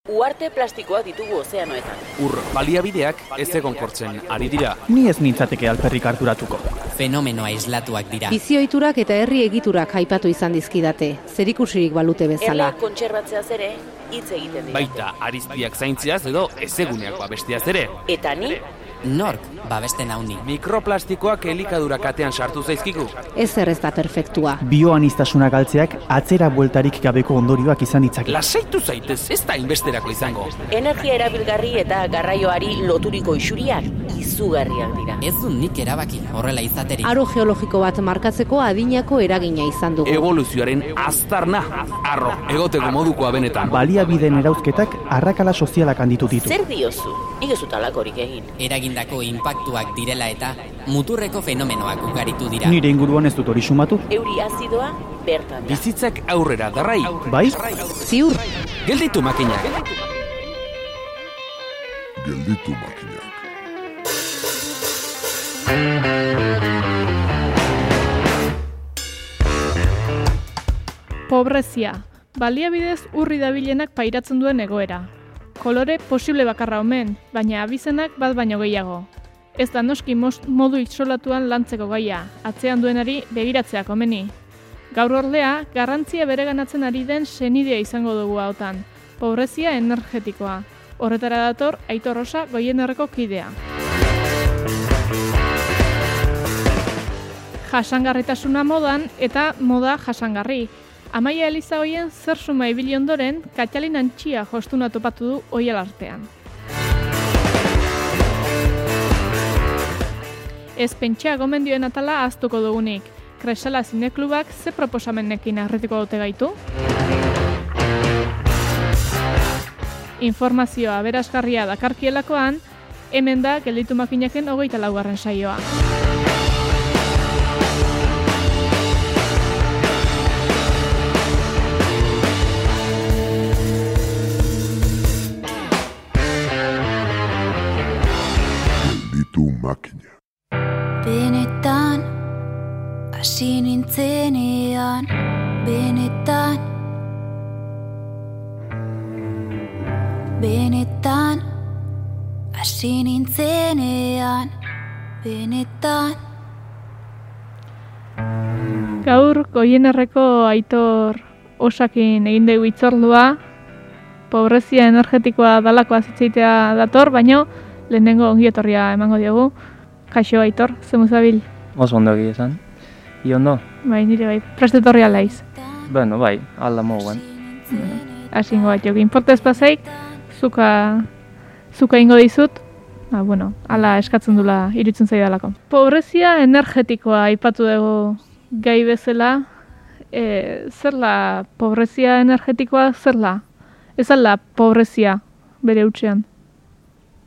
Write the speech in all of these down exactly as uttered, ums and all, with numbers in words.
Uarte plastikoak ditugu ozeanoetan. Ur baliabideak ez egonkortzen ari dira. Ni ez nintzateke alperrik harturatuko. Fenomenoa islatuak dira. Bizioiturak eta herri egiturak aipatu izan dizkidate, zerikusirik balute bezala. Erleak kontserbatzeaz ere hitz egiten dira. Baita ariztiak zaintziaz edo ezeguneak babesteaz ere. Eta ni Nork babesten hauni. Mikroplastikoak elikadura katean sartu zaizkigu. Ez ez da perfektua. Bioanistasuna galtzeak atzera bueltarik gabeko ondorioak izan ditzake. Lasaitu zaitez, ez da inbesterako izango. energia erabilgarri eta garraioari loturiko isuriak izugarriak dira. Ez du nik erabaki horrela izaterik. Aro geologiko bat markatzeko adinako eragina izan dugu. Evoluzioaren aztarna, arro, egoteko modukoa benetan. Baliabideen erauzketak arrakala sozialak handitu ditu. Zer diozu? Nik ez dut halakorik egin. Eragindako inpaktuak direla eta muturreko fenomenoak ugaritu dira. Nire inguruan ez dut hori sumatu. Euri azidoa bertan da. Bizitzak aurrera darrai. Bai? Ziur, Gelditu makinak. Gelditu makinak. Pobrezia. Baliabidez urri dabilenak pairatzen duen egoera. Kolore posible bakarra omen, baina abizenak bat baino gehiago. Ez da noski most, modu isolatuan lantzeko gaia, atzean duenari begiratzea komeni. Gaur ordea, garrantzia bereganatzen ari den senidea izango dugu hautan, pobrezia energetikoa. Horretara dator Aitor Rosa Goienerreko kidea. Jasangarritasuna modan eta moda jasangarri. Amaia Elizagoien zer suma ibili ondoren, Katalin Antxia jostuna topatu du oial artean. Ez pentsa gomendioen atala ahaztuko dugunik. Kresala zineklubak ze proposamenekin arretiko dute gaitu? Informazioa aberasgarria dakarkielakoan, hemen da gelditu makinaken hogeita laugarren saioa. Makina. Benetan, hasi nintzenean, benetan, benetan, hasi nintzenean, benetan. Gaur, Goienerreko Aitor Osakin egin dugu hitzordua, pobrezia energetikoa dalakoa zitzaitea dator, baino lehenengo ongietorria emango diogu. Kaixo, Aitor, zemu zabil? Oso ondo egia esan. I ondo? Bai, nire bai, prestetorria laiz. Bueno, bai, alda moguen. Asingo bat jokin. Importez pasaik, zuka, zuka ingo dizut, ba, bueno, ala eskatzen dula irutzen zaidalako. Pobrezia energetikoa aipatu dugu gai bezala, e, zerla pobrezia energetikoa zerla? Ez alda pobrezia bere hutsean?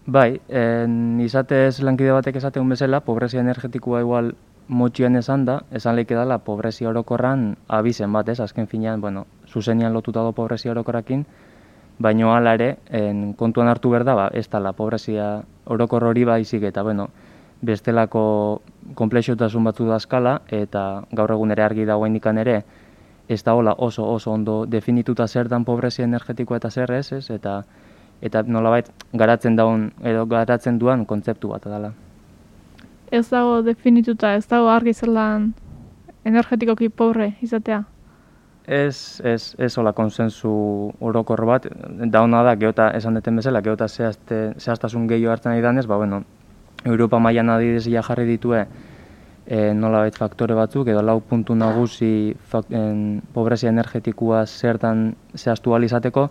Bai, en, izatez lankide batek esateun bezala, pobrezia energetikoa igual motxian esan da, esan leike dala pobrezia orokorran abizen bat, ez? Azken finean, bueno, zuzenian lotuta do pobrezia orokorrakin, baino hala ere, en, kontuan hartu behar da, ba, ez dala pobrezia orokor hori baizik eta, bueno, bestelako konplexotasun batzu da eskala, eta gaur egun ere argi dagoen ikan ere, ez da hola oso oso ondo definituta zer dan pobrezia energetikoa eta zer ez, ez? Eta eta nolabait garatzen daun edo garatzen duan kontzeptu bat dela. Ez dago definituta, ez dago argi zelan energetikoki pobre izatea? Ez, ez, ez hola konsensu orokor bat, dauna da, geota esan deten bezala, geota zehazte, zehaztasun gehiago hartzen ari danez, ba, bueno, Europa mailan adibidez ja jarri ditue e, nolabait faktore batzuk, edo lau puntu nagusi fak, en, pobrezia energetikoa zertan zehaztu ahal izateko,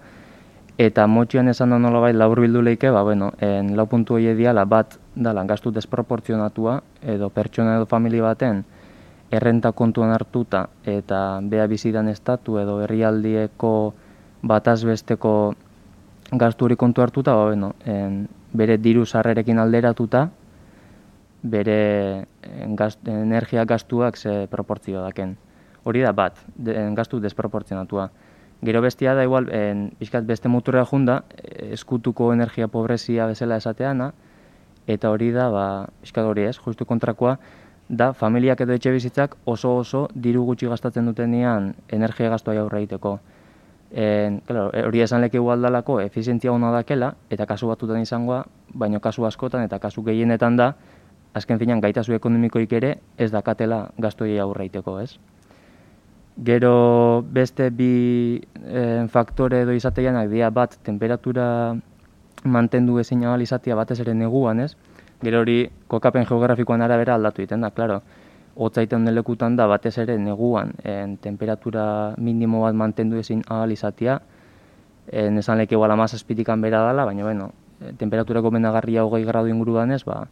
eta motxioan esan da nolabait labur bildu leike, ba, bueno, en lau puntu hori diala bat dala gastu desproportzionatua, edo pertsona edo familia baten errenta kontuan hartuta eta bea bizidan estatu edo herrialdieko batazbesteko gasturi kontu hartuta, ba, bueno, en, bere diru sarrerekin alderatuta, bere en, gast, energia gastuak ze proportzio daken. Hori da bat, de, en, gastu desproportzionatua. Gero bestia da igual, en, bizkat beste muturra junda, eskutuko energia pobrezia bezala esateana, eta hori da, ba, bizkat hori ez, justu kontrakoa, da familiak edo etxe bizitzak oso oso diru gutxi gastatzen dutenean energia gastoa aurre egiteko. En, claro, hori esan leke aldalako efizientzia ona dakela, eta kasu batutan izangoa, baino kasu askotan eta kasu gehienetan da, azken finean gaitasu ekonomikoik ere ez dakatela gastoi aurreiteko, ez? Gero beste bi eh, faktore edo izateianak dira bat, temperatura mantendu ezin ahal izatea batez ere neguan, ez? Gero hori kokapen geografikoan arabera aldatu egiten da, klaro. Hotzaiten den lekutan da batez ere neguan en, temperatura minimo bat mantendu ezin ahal izatea, en, esan leke igual hamazazpitikan bera dela, baina bueno, temperatura gomendagarria hogei gradu inguruan ez, ba,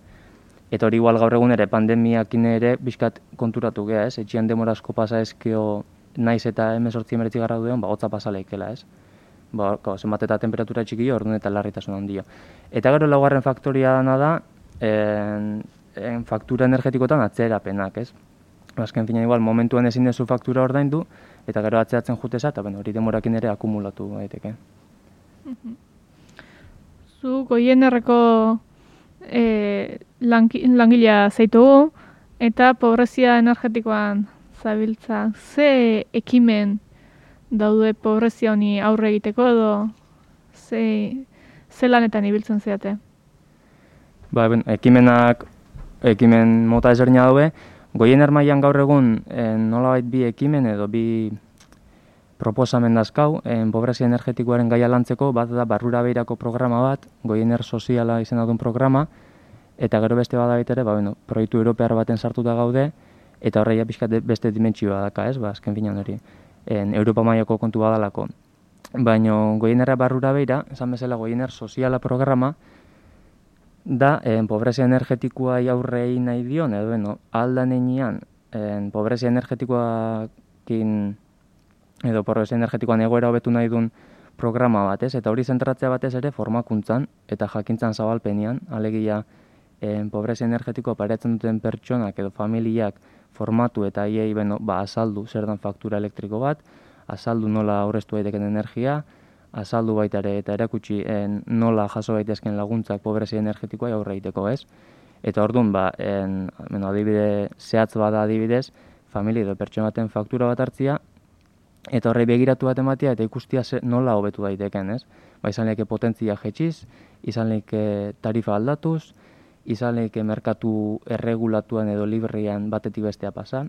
eta hori igual gaur egun ere pandemiakin ere bizkat konturatu gea, ez? Etxian demora asko pasa ezkeo naiz eta hemezortzi hemeretzi gradu deon, ba, hotza pasa leikela, ez? Ba, zenbat eta temperatura txikio, orduan eta larritasun handio. Eta gero laugarren faktoria dana da, en, en faktura energetikotan atzerapenak, ez? Azken fina igual, momentuan ezin dezu faktura ordaindu, eta gero atzeratzen juteza, eta bueno, hori demorakin ere akumulatu daiteke. Zu Goienerreko e, langilea zaitugu, eta pobrezia energetikoan zabiltza. Ze ekimen daude pobrezia honi aurre egiteko edo ze, ze lanetan ibiltzen zeate? Ba, ben, ekimenak, ekimen mota ezberdina daude. Goiener mailan gaur egun en, nolabait bi ekimen edo bi proposamen dazkau, en, pobrezia energetikoaren gaia lantzeko, bat da barrura beirako programa bat, Goiener soziala izena duen programa, eta gero beste bada ere, ba, bueno, proiektu europear baten sartuta gaude, eta horreia pixkat beste dimentsioa daka, ez, ba, azken finan hori, en, Europa mailako kontu badalako. Baina Goienerra barrura beira, esan bezala Goiener soziala programa, da, en, pobrezia energetikoa aurrei nahi dion, edo, bueno, aldan enean, en, pobrezia energetikoakin, edo pobrezia energetikoan egoera hobetu nahi duen programa batez, eta hori zentratzea batez ere formakuntzan eta jakintzan zabalpenian, alegia en, pobrezia energetikoa paretzen duten pertsonak edo familiak formatu eta hiei beno, ba, azaldu zer dan faktura elektriko bat, azaldu nola aurreztu daiteken energia, azaldu baita ere eta erakutsi en, nola jaso daitezken laguntzak pobrezia energetikoa aurre egiteko, ez? Eta orduan, ba, en, bueno, adibide zehatz bada adibidez, familia edo pertsona baten faktura bat hartzia, eta horrei begiratu bat ematea eta ikustia ze, nola hobetu daiteken, ez? Ba, izan lehike potentzia jetxiz, izan lehike tarifa aldatuz, izan lehike merkatu erregulatuan edo librean batetik bestea pasa,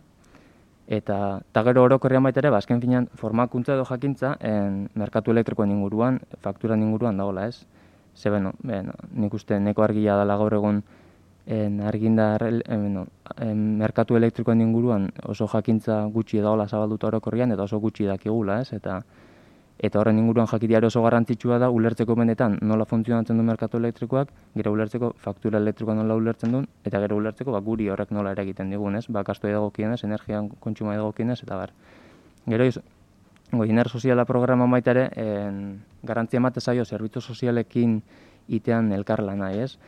eta, eta gero orokorrean baita ere, ba, azken finean formakuntza edo jakintza en, merkatu elektrikoen inguruan, fakturan inguruan dagoela, ez? Ze, beno, beno, nik uste neko argia dela gaur egun en, argindar en, beno, en, merkatu elektrikoen inguruan oso jakintza gutxi dagoela zabalduta orokorrian, eta oso gutxi dakigula, ez? Eta, eta horren inguruan jakitea oso garrantzitsua da ulertzeko benetan nola funtzionatzen du merkatu elektrikoak, gero ulertzeko faktura elektrikoa nola ulertzen duen, eta gero ulertzeko ba, guri horrek nola eragiten digun, ez? Ba, kastu edagokienez, energian kontsuma edagokienez, eta bar. Gero iz, Goiener soziala programa baita ere, en, garantzia emate zaio zerbitzu sozialekin itean elkarlana, ez?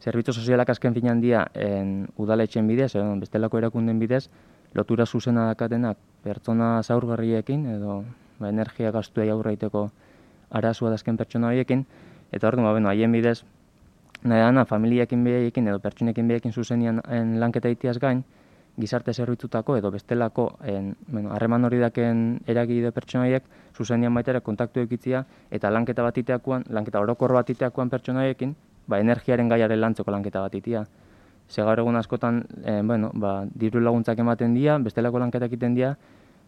Zerbitzu sozialak azken finan dia en, udaletxen bidez, edo bestelako erakunden bidez, lotura zuzena dakatenak pertsona zaurgarriekin, edo ba, energia gastuei aurreiteko arazua dazken pertsona horiekin, eta hor, ba, bueno, haien bidez, nahi dana, familiakin behaiekin edo pertsonekin behaiekin zuzenian en, lanketa itiaz gain, gizarte zerbitzutako edo bestelako harreman bueno, hori daken eragide pertsona horiek zuzenian baita ere kontaktu ekitzia eta lanketa bat iteakoan, lanketa orokor bat iteakoan pertsona horiekin, ba, energiaren gaiaren lantzeko lanketa bat itea. Ze gaur egun askotan, eh, bueno, ba, diru laguntzak ematen dira, bestelako lanketak egiten dira,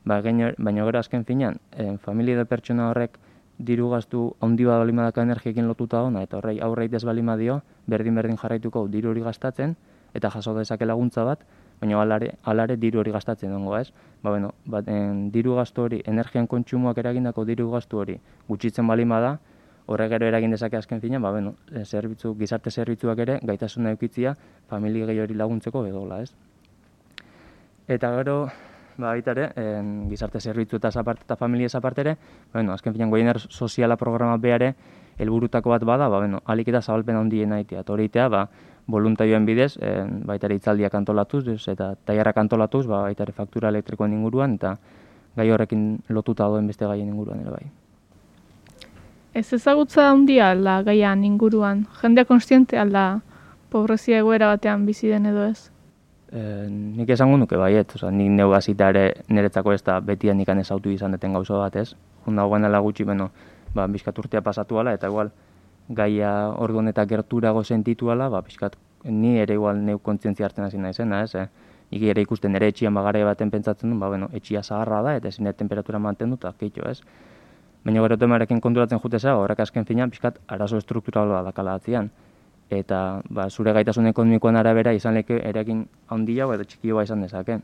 ba, baina gero azken finean, eh, familia edo pertsona horrek diru gastu handi bat balima daka energiekin lotuta ona, eta horrei aurreit ez balima dio, berdin-berdin jarraituko diru hori gastatzen, eta jaso dezake laguntza bat, baina alare, alare diru hori gastatzen dongo, ez? Ba, bueno, bat, en, diru gastu hori, energian kontsumoak eragindako diru gastu hori gutxitzen balima da, horrek gero eragin dezake azken finean, ba, bueno, zerbitzu, gizarte zerbitzuak ere gaitasuna eukitzia familia gehi hori laguntzeko edola, ez? Eta gero, ba, baita ere, en, gizarte zerbitzu eta aparte eta familia aparte ere, bueno, azken finean Goiener soziala programa beare helburutako bat bada, ba, bueno, alik eta zabalpen handiena itea, eta hori itea, ba, voluntarioen bidez, en, baita ere hitzaldiak antolatuz, eta tailerrak antolatuz, ba, baita ere faktura elektrikoen inguruan, eta gai horrekin lotuta doen beste gaien inguruan ere bai. Ez ezagutza handia alda gaian inguruan? Jendea konstiente alda pobrezia egoera batean bizi den edo ez? E, nik esango nuke baiet, oza, nik neu hasita ere niretzako ez da betian ikan ezautu izan deten gauza bat, ez? dagoenela gutxi, beno, ba, bizkat urtea pasatu ala, eta igual, gaia orduan eta gerturago sentitu ala, ba, bizkat, ni ere igual neu kontzientzia hartzen hasi naizena, ez, eh? Iki ere ikusten ere etxian bagare baten pentsatzen du, ba, bueno, etxia zaharra da, eta ezin temperatura mantendu, eta keitxo, ez? Baina gero temarekin konturatzen jutezea, horrek azken finean, bizkat, arazo estrukturala dakala atzian. Eta ba, zure gaitasun ekonomikoan arabera izan leke erekin handia edo txikioa izan dezake.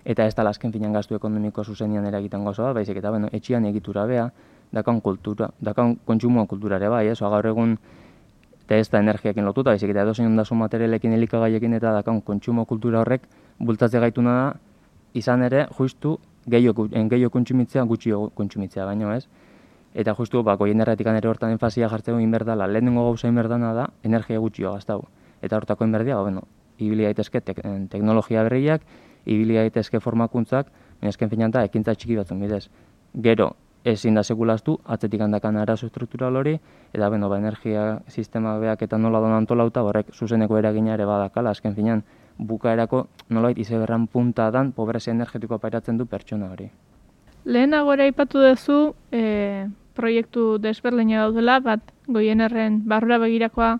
Eta ez da azken finean gastu ekonomiko zuzenian eragiten gozoa, baizik eta bueno, etxian egitura bea, dakan kultura, dakan kontsumoa kultura ere bai, ez? Oa, gaur egun, eta ez da energiakin lotuta, baizik eta edozein ondasun materialekin elikagaiekin eta dakan kontsumo kultura horrek bultatze gaituna da, izan ere, justu, gehiago kontsumitzea, gutxio kontsumitzea baino, ez? Eta justu, ba, goien erratikan ere hortan enfazia jartzeko inberdala, lehenengo gauza inberdana da, energia gutxio gaztau. Eta hortako inberdia, ba, bueno, ibili daitezke tek, teknologia berriak, ibili daitezke formakuntzak, baina esken finan da, ekintza txiki batzun bidez. Gero, ezin da sekulaztu, atzetik handakan arazo estruktural hori, eta bueno, ba, energia sistema beak eta nola don antolauta, horrek zuzeneko eragina ere badakala, azken finan, bukaerako nolait izeberran punta dan, pobrezia energetikoa pairatzen du pertsona hori. Lehenago ere aipatu duzu, e, proiektu desberdina daudela, bat Goienerren barrura begirakoa,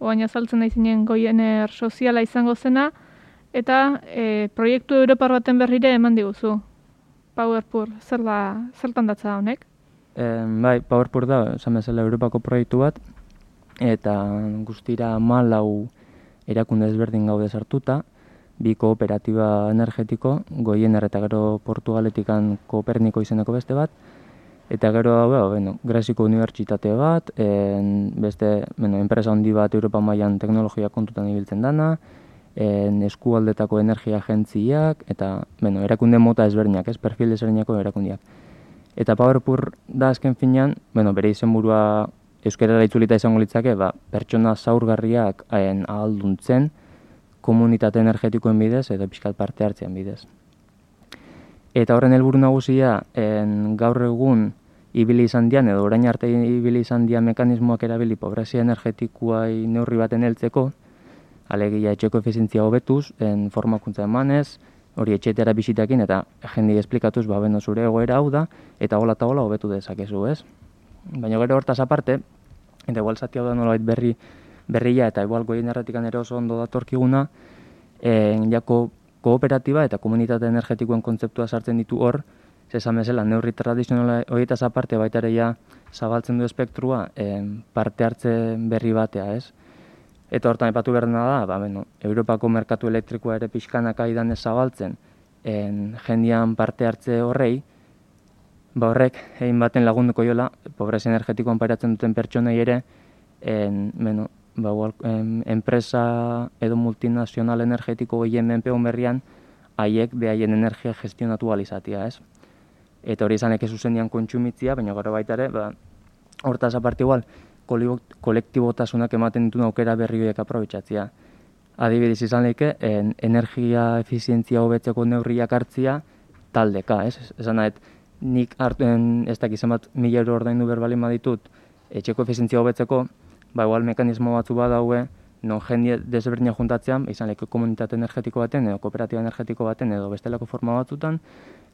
oain azaltzen naizinen Goiener soziala izango zena, eta e, proiektu europar baten berrire eman diguzu. Powerpur, zer da, zertan datza honek? E, bai, Powerpur da, esan bezala Europako proiektu bat, eta guztira malau erakunde ezberdin gaude sartuta, bi kooperatiba energetiko, Goiener eta gero Portugaletikan Koperniko izeneko beste bat, eta gero, bueno, Greziko unibertsitate bat, en, beste, bueno, enpresa handi bat Europa mailan teknologia kontutan ibiltzen dana, en, eskualdetako energia agentziak, eta, bueno, erakunde mota ezberdinak, ez, perfil ezberdinako erakundiak. Eta Powerpur da azken finean, bueno, bere izenburua euskarara itzulita izango litzake, ba, pertsona zaurgarriak haien ahalduntzen, komunitate energetikoen bidez edo pixkat parte hartzean bidez. Eta horren helburu nagusia, en, gaur egun ibili izan dian, edo orain arte ibili izan dian mekanismoak erabili pobrezia energetikoai neurri baten heltzeko, alegia etxeko efizientzia hobetuz, en formakuntza emanez, hori etxetera bisitakin, eta jendi esplikatuz, ba, beno zure egoera hau da, eta hola eta hola hobetu dezakezu, ez? Baina gero hortaz aparte, eta igual zati hau da nolabait berri, berria, eta igual goien erratikan ere oso ondo datorkiguna, en, jako kooperatiba eta komunitate energetikoen kontzeptua sartzen ditu hor, zesan bezala, neurri tradizionala horietaz aparte baita ere ja zabaltzen du espektrua en, parte hartze berri batea, ez? Eta hortan epatu behar da, ba, bueno, Europako merkatu elektrikoa ere pixkanaka idanez zabaltzen, en, jendian parte hartze horrei, ba horrek egin baten lagunduko jola, pobrezia energetikoan pairatzen duten pertsonei ere, en, bueno, ba, en, enpresa edo multinazional energetiko gehien menpeon berrian, haiek behaien energia gestionatu alizatia, ez? Eta hori izanek zuzenian kontsumitzia, baina gara baita ere, ba, hortaz aparte igual, kolektibotasunak ematen dituen aukera berri horiek aprobetxatzia. Adibidez izan lehike, en, energia efizientzia hobetzeko neurriak hartzia taldeka, ez? Esan nahet, nik hartuen ez dakizen bat mila euro ordaindu berbalin baditut etxeko efizientzia hobetzeko, ba igual mekanismo batzu badaue, non jende desberdina juntatzean, izan lehike komunitate energetiko baten, edo kooperatiba energetiko baten, edo bestelako forma batzutan,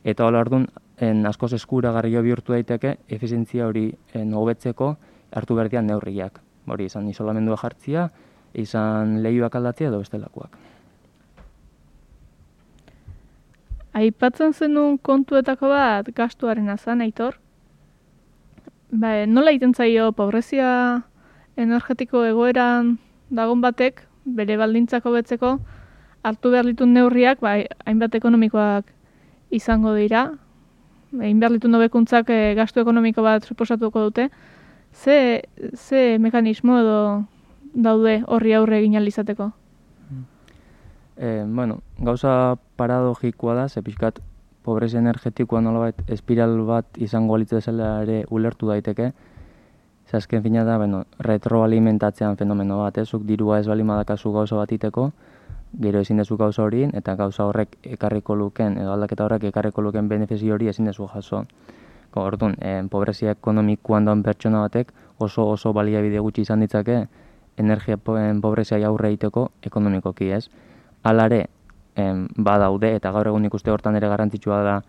eta hola orduan, en, askoz eskuragarri bihurtu daiteke, efizientzia hori en, hobetzeko hartu berdian neurriak. Hori izan isolamendua jartzia, izan lehioak aldatzea edo bestelakoak. Aipatzen zenun kontuetako bat gastuaren azan, Aitor? Ba, nola egiten zaio pobrezia energetiko egoeran dagon batek, bere baldintzako betzeko, hartu behar ditun neurriak, ba, hainbat ekonomikoak izango dira, egin behar ditun hobekuntzak e, gastu ekonomiko bat suposatuko dute, ze, ze mekanismo edo daude horri aurre egin ahal izateko? Eh, bueno, gauza paradogikoa da, ze pixkat pobrezia energetikoa nolabait espiral bat izango alitz bezala ere ulertu daiteke. Ze azken fina da, bueno, retroalimentatzean fenomeno bat, eh? Zuk dirua ez bali madakazu gauza bat iteko, gero ezin dezu gauza horien, eta gauza horrek ekarriko luken, edo aldaketa horrek ekarriko luken benefizio hori ezin dezu jaso. Orduan, eh, pobrezia ekonomikoan daun pertsona batek oso oso baliabide gutxi izan ditzake energia pobrezia aurre egiteko ekonomikoki, ez? Alare, em, badaude, eta gaur egun ikuste hortan ere garrantzitsua da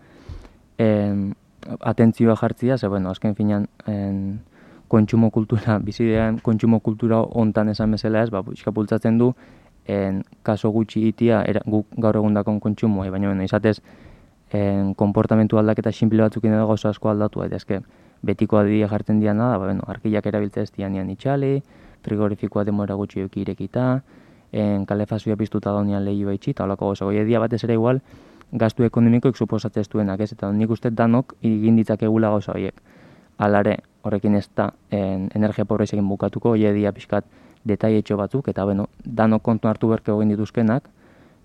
em, atentzioa jartzia, ze bueno, azken finan en, kontsumo kultura, bizidean kontsumo kultura hontan esan bezala ez, ba, pixka bultzatzen du, en, kaso gutxi itia era, guk gaur egundakon kontsumoa, baina bueno, izatez en, konportamentu aldaketa simple batzukin edo gauza asko aldatu daitezke. Betiko adidia jartzen diana da, ba, bueno, arkillak erabiltzea ez dianian itxali, frigorifikoa demora gutxi euki irekita, en, kalefazioa piztuta daunian lehioa itxi, eta holako gauza. Goie dia batez ere igual, gastu ekonomikoik suposatzez duenak, ez? Eta nik uste danok egin ditzakegula gauza horiek. Alare, horrekin ez da en, energia pobrezekin bukatuko, hoie dia pixkat detaietxo batzuk, eta bueno, danok kontu hartu berke egin dituzkenak.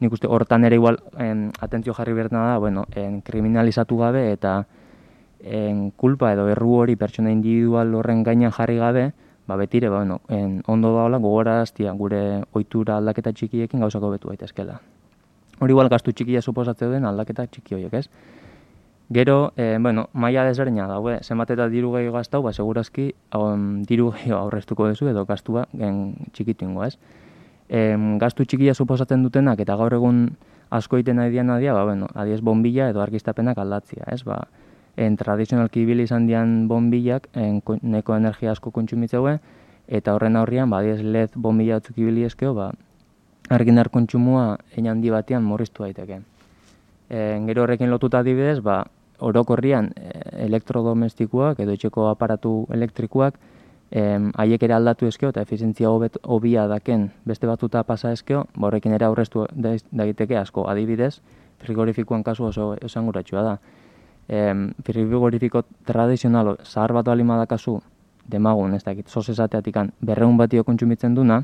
Nik uste hortan ere igual en, atentzio jarri bertena da, bueno, en, kriminalizatu gabe eta en, kulpa edo erru hori pertsona individual horren gainean jarri gabe, ba betire, ba, bueno, en, ondo daola gogoraztia gure ohitura aldaketa txikiekin gauzako betu daitezkela. Hori igual gastu txikia suposatzen den aldaketa txiki horiek, ez? Gero, eh, bueno, maila desberdina daude, zenbat eta diru gehiago gastau, ba, segurazki um, diru gehiago aurreztuko duzu edo gastua gen txikitu ingo, ez? E, gastu txikia suposatzen dutenak eta gaur egun asko egiten nahi dian nadia, ba, bueno, adiez bombilla edo argiztapenak aldatzia, ez? Ba, en tradizionalki ibili izan dian bombillak en, neko energia asko kontsumitzeue, eta horren aurrian, ba, adiez L E D bombilla batzuk ibili eskeo, ba, argindar kontsumoa hein handi batean murriztu daiteke. E, gero horrekin lotuta adibidez, ba, orokorrian elektrodomestikoak edo etxeko aparatu elektrikoak haiek ere aldatu eskeo eta efizientzia hobia daken beste batzuta pasa eskeo, ba horrekin ere aurreztu daiteke asko. Adibidez, frigorifikoan kasu oso esanguratsua da. E, frigorifiko tradizionalo zahar bat balima da kasu demagun, ez dakit, sos esateatikan berreun batio kontsumitzen duna,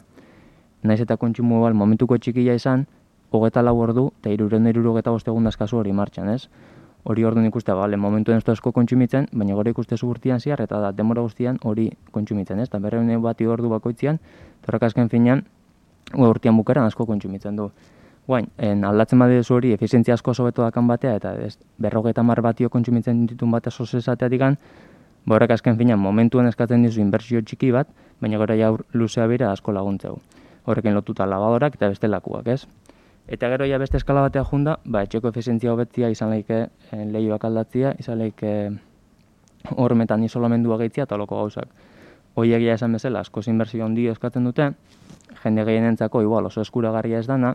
naiz eta kontsumo bal momentuko txikia izan, hogeta lau ordu eta hirurehun eta hirurogeita bost egundaz kasu hori martxan, ez? Hori orduan ikuste, bale, momentuen ez asko kontsumitzen, baina gero ikuste zugurtian ziar, eta da, denbora guztian hori kontsumitzen, ez? Eta berreun bati ordu bakoitzian, torrak azken finean, urtean bukaran asko kontsumitzen du. Guain, en, aldatzen badizu hori, efizientzia asko sobeto dakan batea, eta ez, berrogeita mar batio kontsumitzen ditun bat sosesateatikan, horrek azken finean, momentuen eskatzen dizu inbertsio txiki bat, baina gero ja luzea bera asko laguntzeu. Horrekin lotuta lavadorak eta bestelakuak, ez? Eta gero ja beste eskala batea junda, ba, etxeko efizientzia hobetzia izan leike eh, lehioak aldatzia, izan leike hormetan isolamendua gehitzia eta loko gauzak. Hoi egia esan bezala, askoz inbertsio handia eskatzen dute, jende gehienentzako igual oso eskuragarria ez dana,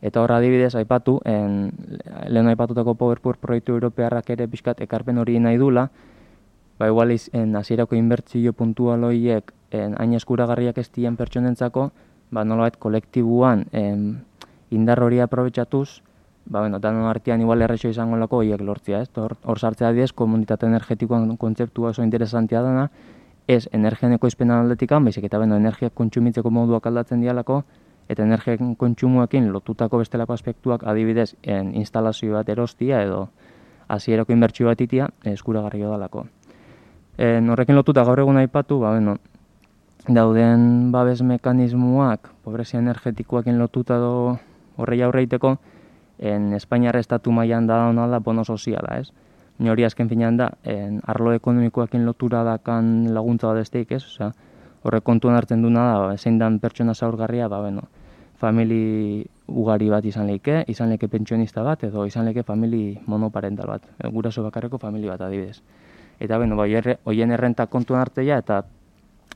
eta horra adibidez aipatu, en, lehen aipatutako PowerPoint proiektu europearrak ere pixkat ekarpen hori nahi dula, ba igual en hasierako inbertsio puntual horiek hain eskuragarriak ez dien pertsonentzako, ba nolabait kolektibuan en, indar hori aprobetxatuz, ba, bueno, danon artean igual errexo izango lako horiek lortzia, ez? Hor, hor sartzea diez, komunitate energetikoan kontzeptua oso interesantia dana, ez energian ekoizpenan aldetikan, baizik eta beno, energiak kontsumitzeko moduak aldatzen dialako, eta energiak kontsumoekin lotutako bestelako aspektuak adibidez en instalazio bat erostia edo hasierako inbertsio bat itia eskuragarria dalako. En, horrekin lotuta gaur egun aipatu, ba, bueno, dauden babes mekanismoak, pobrezia energetikoakin lotuta do horrei aurreiteko, en Espainiar estatu mailan da ona da bono soziala, ez? Hori azken finean da, en arlo ekonomikoekin lotura dakan laguntza bat esteik, ez? Osea, horrek kontuan hartzen duna da, zein dan pertsona zaurgarria, ba, bueno, famili ugari bat izan leike, izan leike pentsionista bat, edo izan leike famili monoparental bat, guraso bakarreko famili bat adibidez. Eta, bueno, ba, hoien errenta kontuan hartzea eta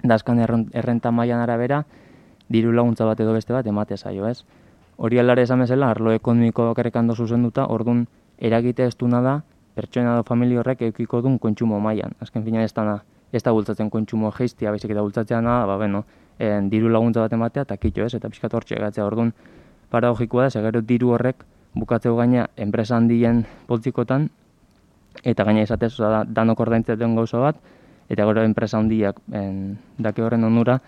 dazkan errenta mailan arabera, diru laguntza bat edo beste bat emate zaio, ez? Hori alare esan bezala, arlo ekonomiko bakarrekan dozu zenduta, orduan eragite ez duna da, pertsona edo familia horrek eukiko duen kontsumo mailan. Azken fina ez da, ez da bultzatzen kontsumo geiztia, baizik eta bultzatzea da, ba, bueno, en, diru laguntza bat ematea, eta kitxo ez, eta pixkat hortxe egatzea. Orduan, paradogikoa da, segero diru horrek bukatzeu gaina enpresa handien poltsikotan, eta gaina izatez, oza, da, danok ordaintzen gauza bat, eta gero enpresa handiak en, dake horren onura,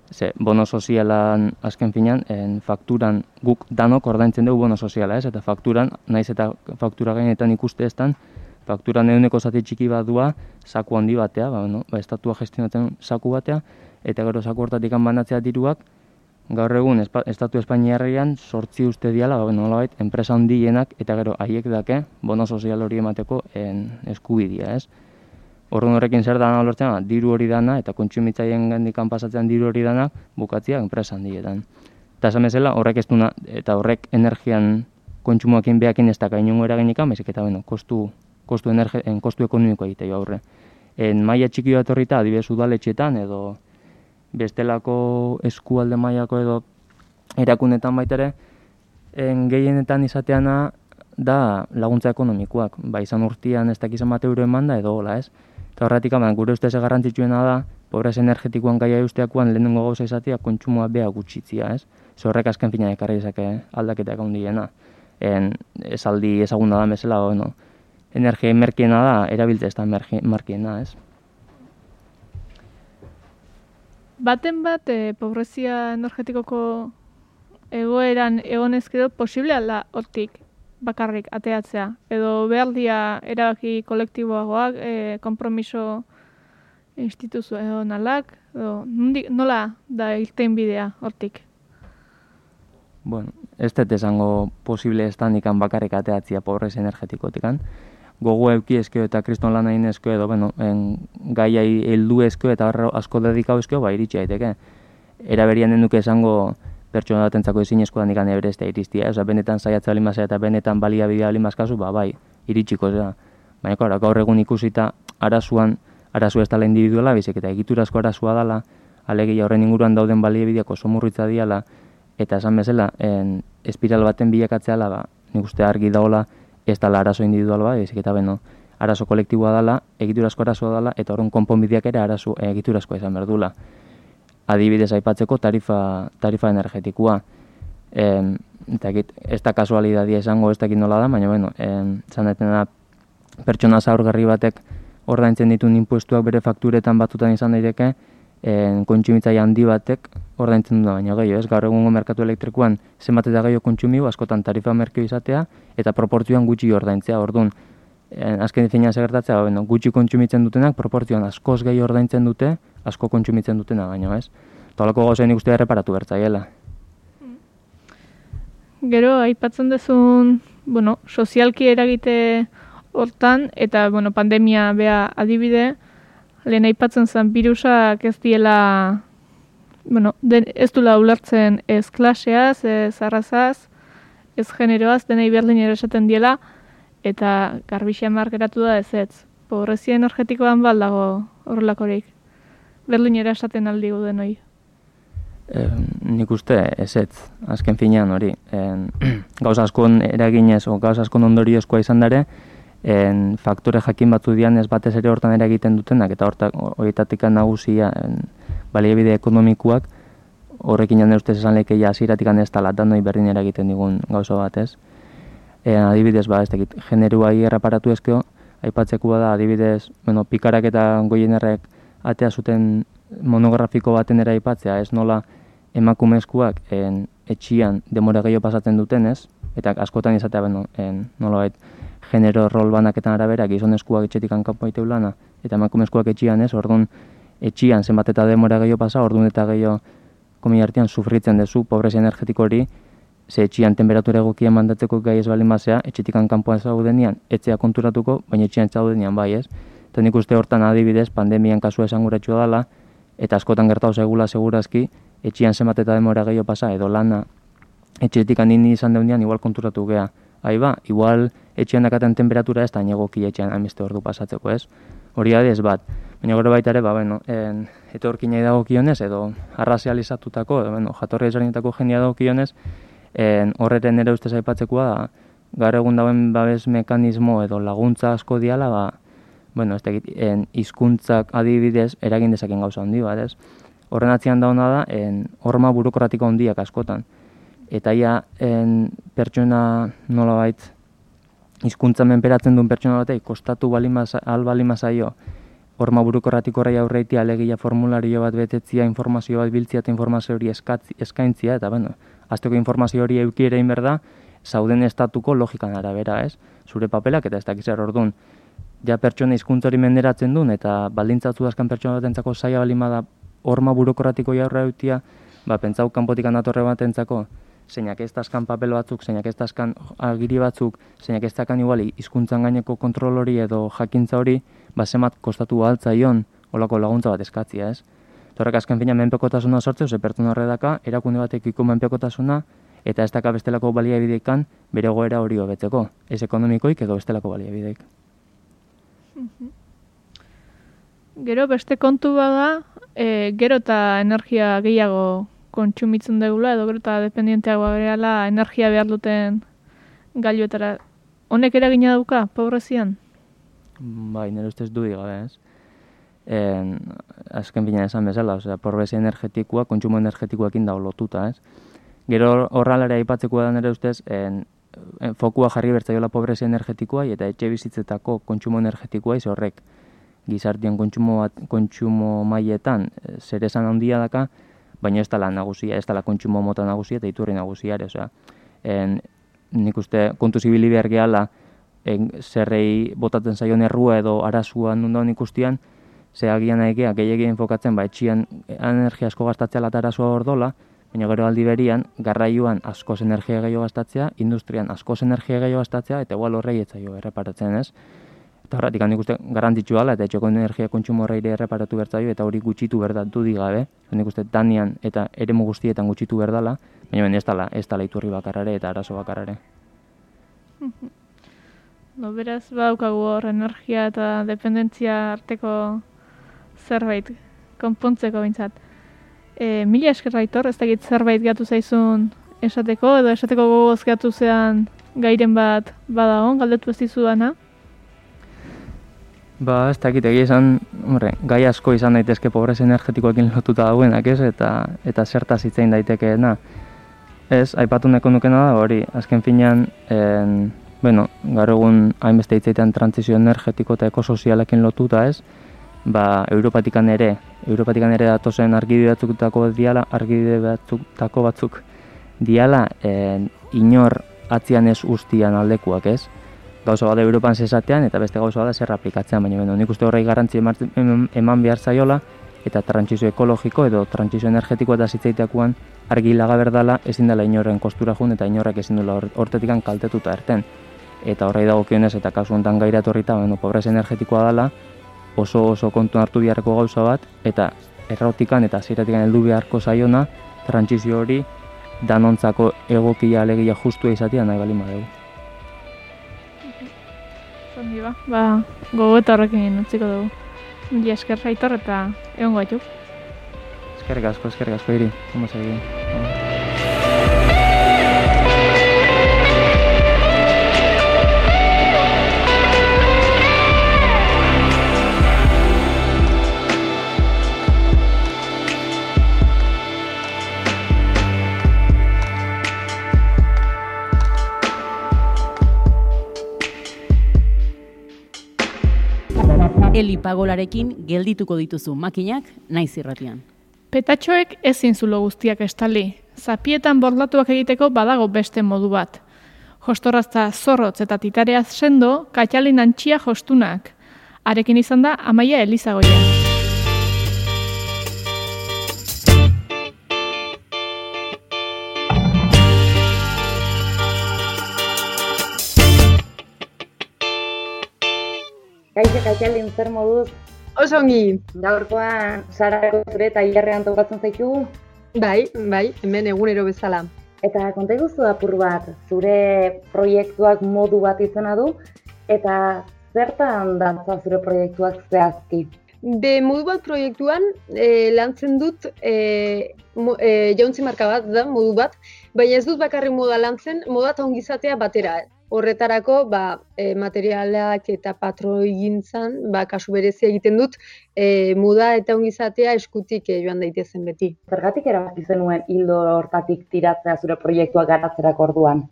ze bono sozialan azken finan, en, fakturan guk danok ordaintzen dugu bono soziala, ez? Eta fakturan, naiz eta faktura gainetan ikuste eztan, fakturan eguneko zati txiki bat dua, saku handi batea, ba, bueno, ba, estatua gestionatzen saku batea, eta gero saku hortatik banatzea diruak, gaur egun espa, estatu Espainiarrean sortzi uste diala, ba, bueno, nolabait, enpresa handienak, eta gero haiek dake bono sozial hori emateko en, eskubidea, ez? Orduan horrekin zer dana lortzen, diru hori dana eta kontsumitzaien gandikan pasatzen diru hori dana bukatzea enpresa handietan. Eta esan bezala horrek ez duna, eta horrek energian kontsumoekin behakin ez daka inongo eraginikan, baizik eta bueno, kostu, kostu, energe, en, kostu ekonomiko egiteko aurre. En maila txiki bat horrita, adibidez udaletxetan edo bestelako eskualde mailako edo erakunetan baitere, en gehienetan izateana da laguntza ekonomikoak, ba izan urtean ez dakizan bat euro eman da edo hola, ez? Eta horretik, gure ustez garrantzitsuena da, pobrez energetikoan gaia usteakoan lehenengo gauza izatea kontsumoa beha gutxitzia, ez? Zorrek azken fina ekarri dezake aldaketak handiena. En esaldi ezaguna da bezala, bueno, energia merkeena da, erabiltze ez da merkeena, ez? Baten bat, e, pobrezia energetikoko egoeran egonezkero posible alda hortik bakarrik ateatzea. Edo behar dia erabaki kolektiboagoak, e, kompromiso instituzionalak, edo nola da irten bidea hortik? Bueno, ez dut esango posible ez da nikan bakarrik ateatzia pobrezia energetikotikan. Gogo euki ezkeo eta kriston lan egin ezkeo edo, bueno, en, gaiai heldu ezkeo eta asko dedikau ezkeo, ba, iritsi daiteke. Eraberian den duke esango pertsona batentzako ezinezkoa nikan ebereztea iristia. Osa, benetan saiatzea alimazea eta benetan baliabidea alimazkazu, ba, bai, iritsiko zera. Baina, kora, gaur egun ikusita arazuan, arazu ez dela individuala, bizik eta egiturazko arazua dela, alegia horren inguruan dauden baliabideak oso murritza diala, eta esan bezala, en, espiral baten bilakatzeala, ba, nik uste argi daola, ez dela arazo individual bat, ezik eta beno, arazo kolektiboa dela, egiturazko arazoa dela, eta horren konponbideak ere arazo egiturazkoa izan berdula. Adibidez aipatzeko tarifa, tarifa energetikoa. E, eta ez da kasualidadia izango ez dakit nola da, baina bueno, e, zan da pertsona zaurgarri batek ordaintzen dituen inpuestuak bere fakturetan batutan izan daiteke, e, kontsumitzaile handi batek ordaintzen du baina gehiago, ez? Gaur egungo merkatu elektrikoan zenbat eta gehiago kontsumiu, askotan tarifa merkeo izatea, eta proportzioan gutxi ordaintzea, orduan. E, azken finean segertatzea, bueno, gutxi kontsumitzen dutenak, proportzioan askoz gehi ordaintzen dute, asko kontsumitzen dutena baino, ez? Tolako gauzain ikuste erreparatu bertzaiela. Gero, aipatzen dezun, bueno, sozialki eragite hortan, eta, bueno, pandemia bea adibide, lehen aipatzen zen virusak ez diela, bueno, den, ez dula ulertzen ez klaseaz, ez arrazaz, ez generoaz, denei berdinera esaten diela, eta garbixean markeratu da ez ez. Pobrezia energetikoan baldago horrelakorik. Berdinera esaten aldi guden hori. E, nik uste ez ez, azken finean hori. E, gauza askon eraginez, o gauza askon ondoriozkoa izan dare, en, faktore jakin batzu dian ez batez ere hortan eragiten dutenak, eta horietatik nagusia en, baliabide ekonomikoak, horrekin jane ustez esan lekeia aziratik ez tala, danoi berdin eragiten digun gauza bat ez. E, adibidez, ba, ez dakit, generuai erraparatu ezkeo, aipatzekoa da, adibidez, bueno, pikarak eta goienerrek atea zuten monografiko baten era aipatzea, ez nola emakumezkoak en, etxian demora gehiago pasatzen duten, ez? Eta askotan izatea, bueno, en, nolabait, genero rol banaketan arabera, gizonezkoak etxetik kanpo aiteu lana, eta emakumezkoak etxian, ez? Orduan, etxian zenbat eta demora gehiago pasa, orduan eta gehiago komi artean sufritzen dezu, pobrezia energetiko hori, ze etxian temperatura egokia mandatzeko gai ez balin basea, etxetik kanpoan zaudenian, etzea konturatuko, baina etxian zaudenian bai, ez? Eta nik uste hortan adibidez, pandemian kasua esanguratsua dela, eta askotan gertatu segula segurazki, etxian zenbat eta demora gehiago pasa, edo lana etxetik handini izan deunean, igual konturatu gea. Hai ba, igual etxean dakaten temperatura ez da negoki etxean hainbeste ordu pasatzeko, ez? Hori adez bat. Baina gero baita ere, ba, bueno, en, etorkinei dagokionez, edo arrazializatutako, edo, bueno, jatorri ezberdinetako jendia dagokionez, horreten ere ustez aipatzekoa da, gaur egun dauen babes mekanismo edo laguntza asko diala, ba, bueno, ez dakit, hizkuntzak adibidez eragin dezaken gauza handi bat, ez? Horren atzian dauna da, en, horma burokratiko handiak askotan. Eta ia, en, pertsona nolabait, hizkuntza menperatzen duen pertsona batei, kostatu al balimazaio, horma burokratiko horrei aurreitia, alegia formulario bat betetzia, informazio bat biltzia eta informazio hori eskatzi, eskaintzia, eta bueno, azteko informazio hori euki ere inberda, zauden estatuko logikan arabera, ez? Zure papelak eta ez dakizar orduan, ja pertsona hizkuntza hori menderatzen duen, eta baldintzatu azkan pertsona batentzako zaila balimada horma burokratiko jaurra eutia, ba, pentsau kanpotikan datorre batentzako, zeinak ez dazkan papel batzuk, zeinak ez dazkan agiri batzuk, zeinak ez dakan iguali hizkuntzan gaineko kontrol hori edo jakintza hori, ba, zemat kostatu altzaion olako laguntza bat eskatzia, ez? Torrek azken fina menpekotasuna sortzeu, ze pertsona horre daka, erakunde batekiko menpekotasuna, eta ez daka bestelako baliabideekan bere goera hori hobetzeko, ez ekonomikoik edo bestelako baliabideek. Gero beste kontu bada, e, gero eta energia gehiago kontsumitzen dugula, edo gero eta dependienteagoa gehala energia behar duten gailuetara. Honek eragina dauka, pobrezian? Bai, nire ustez dudik gabe, ez? En, azken bina esan bezala, osea, pobrezia energetikoa, kontsumo energetikoekin dago lotuta, ez? Gero horralare aipatzeko da nire ustez, en, en, fokua jarri bertzaiola pobrezia energetikoa eta etxe bizitzetako kontsumo energetikoa iz horrek gizartean kontsumo, bat, kontsumo mailetan zer esan handia daka, baina ez dela nagusia, ez dela kontsumo mota nagusia eta iturri nagusiare, osea. En, nik uste kontu zibili behar gehala, en, zerrei botatzen zaion errua edo arazua nundaun ikustian, ze agian naikea gehiagien enfokatzen, ba, etxian energia asko gastatzea eta arazua hor dola, baina gero aldi berian, garraioan askoz energia gehiago gastatzea, industrian askoz energia gehiago gastatzea, eta igual horrei etzaio erreparatzen, ez? Eta horretik nik uste garrantzitsu dela, eta etxeko energia kontsumo horreire erreparatu bertzaio, eta hori gutxitu berdatu digabe, nik uste danian eta eremu guztietan gutxitu berdala, baina ben ez dela, ez dela iturri bakarrare eta arazo bakarrare. No, beraz, badaukagu hor energia eta dependentzia arteko zerbait konpontzeko bintzat. E, mila esker Aitor, ez dakit zerbait gatu zaizun esateko, edo esateko gogoz gatu zean gairen bat badagon, galdetu ez dizudana? Ba, ez dakit egia esan, hombre, gai asko izan daitezke pobrezia energetikoekin lotuta dauenak, ez? Eta, eta zertaz hitzein daitekeena. Ez, aipatu neko nukena da hori, azken finean, en, bueno, gaur egun hainbeste hitzeitean trantsizio energetiko eta ekosozialekin lotuta, ez? Ba, Europatikan ere, Europatikan ere datozen argibide batzukutako diala, argibide batzukutako batzuk diala, en, inor atzian ez ustian aldekuak, ez? Gauza bada Europan zezatean eta beste gauza bada zer aplikatzean, baina beno, nik uste horrei garrantzi eman behar zaiola eta trantsizio ekologiko edo trantsizio energetiko eta zitzaiteakoan argi laga berdala ezin dela inorren kostura jun eta inorrek ezin dela hortetikan kaltetuta erten. Eta horrei dagokionez eta kasu honetan gaira etorrita, bueno, pobrezia energetikoa dela oso oso kontu hartu beharreko gauza bat eta errotikan eta ziratikan heldu beharko zaiona trantsizio hori danontzako egokia alegia justua izatea nahi bali badegu. Ondi ba, ba, gogo eta horrekin utziko dugu. Mila esker Aitor eta egon gaitu. Eskerrik asko, eskerrik asko iri. Ondo segi. Elipagolarekin geldituko dituzu makinak naiz irratian. Petatxoek ezin zulo guztiak estali. Zapietan bordatuak egiteko badago beste modu bat. Jostorrazta zorrotz eta titareaz sendo, katxalin antxia jostunak. Arekin izan da Amaia Elizagoien. Kaixo Katxalin, zer moduz? Oso ongi. Gaurkoan Sarako zure tailerrean tokatzen zaitu? Bai, bai, hemen egunero bezala. Eta konta iguzu apur bat, zure proiektuak modu bat izena du, eta zertan dantza zure proiektuak zehazki? Be modu bat proiektuan e, lantzen dut e, mo, e, jauntzi marka bat da, modu bat, baina ez dut bakarrik moda lantzen, moda eta ongizatea batera. Horretarako, ba, e, materialak eta patroigintzan, ba, kasu berezia egiten dut, e, moda eta ongizatea eskutik e, joan daitezen beti. Zergatik erabaki zenuen hildo hortatik tiratzea zure proiektuak garatzerako orduan?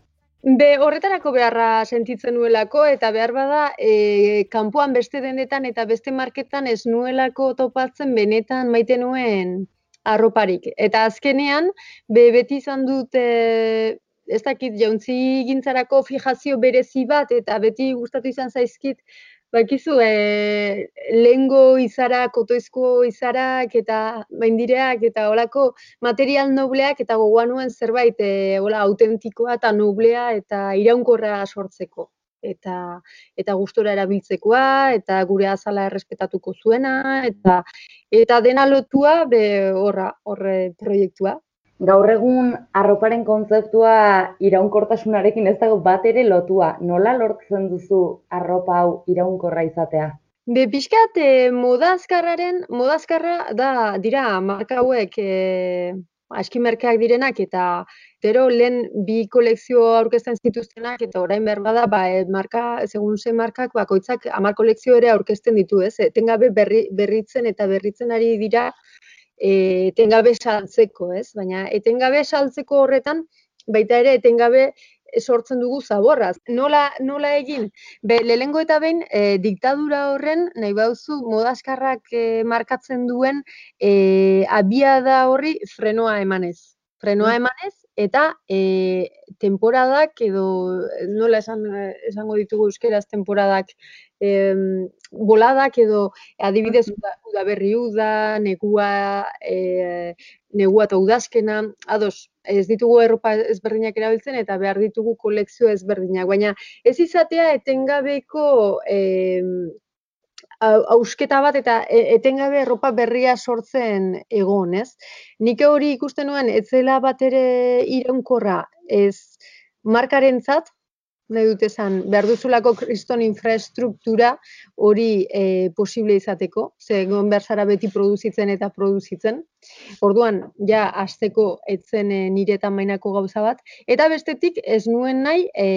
Be, horretarako beharra sentitzen nuelako, eta behar bada, e, kanpoan beste denetan eta beste marketan ez nuelako topatzen benetan maite nuen arroparik. Eta azkenean, be, beti izan dut, e, ez dakit, jauntzi gintzarako fijazio berezi bat, eta beti gustatu izan zaizkit, bakizu, e, lehengo izarak, otoizko izarak, eta baindireak, eta holako material nobleak, eta gogoan nuen zerbait, e, hola, autentikoa eta noblea, eta iraunkorra sortzeko. Eta, eta gustora erabiltzekoa, eta gure azala errespetatuko zuena, eta, eta dena lotua, be, horra, horre proiektua. Gaur egun arroparen kontzeptua iraunkortasunarekin ez dago bat ere lotua. Nola lortzen duzu arropa hau iraunkorra izatea? Be, pixkat, e, moda azkarraren, moda azkarra da, dira, marka hauek e, aski merkeak direnak, eta gero lehen bi kolekzio aurkezten zituztenak, eta orain behar bada, ba, e, marka, segun ze markak, bakoitzak hamar kolekzio ere aurkezten ditu, ez? Etengabe berri, berritzen eta berritzen ari dira, e, etengabe saltzeko, ez? Baina etengabe saltzeko horretan, baita ere etengabe sortzen dugu zaborraz. Nola, nola egin? Be, lehengo eta behin, e, diktadura horren, nahi bauzu, moda azkarrak e, markatzen duen e, abiada horri frenoa emanez. Frenoa emanez, eta e, temporadak edo, nola esan, esango ditugu euskeraz temporadak, e, boladak edo adibidez udaberri uda, negua, e, negua eta udazkena, ados, ez ditugu erropa ezberdinak erabiltzen eta behar ditugu kolekzio ezberdinak, baina ez izatea etengabeko e, hausketa bat eta etengabe erropa berria sortzen egon, ez? Nik hori ikusten nuen, ez zela bat ere iraunkorra, ez markarentzat, nahi dut esan, behar duzulako kriston infrastruktura hori e, posible izateko, ze egon behar zara beti produzitzen eta produzitzen. Orduan, ja, hasteko etzen e, nire tamainako gauza bat, eta bestetik ez nuen nahi e,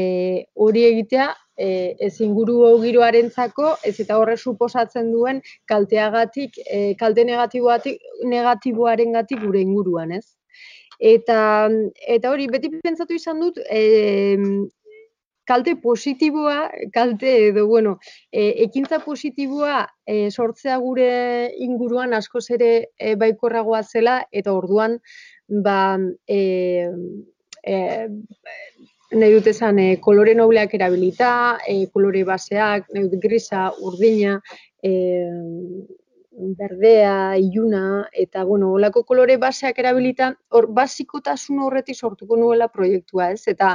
hori egitea e, ez inguru giroarentzako, ez eta horre suposatzen duen kalteagatik, e, kalte negatiboatik, negatiboarengatik gure inguruan, ez? Eta, eta hori, beti pentsatu izan dut, e, kalte positiboa, kalte edo, bueno, e, ekintza positiboa e, sortzea gure inguruan askoz ere e, baikorragoa zela, eta orduan, ba, e, e, nahi dut esan, e, kolore nobleak erabilita, e, kolore baseak, nahi dut grisa, urdina, e, berdea, iluna, eta, bueno, olako kolore baseak erabilita, hor, basikotasun horretik sortuko nuela proiektua, ez? Eta,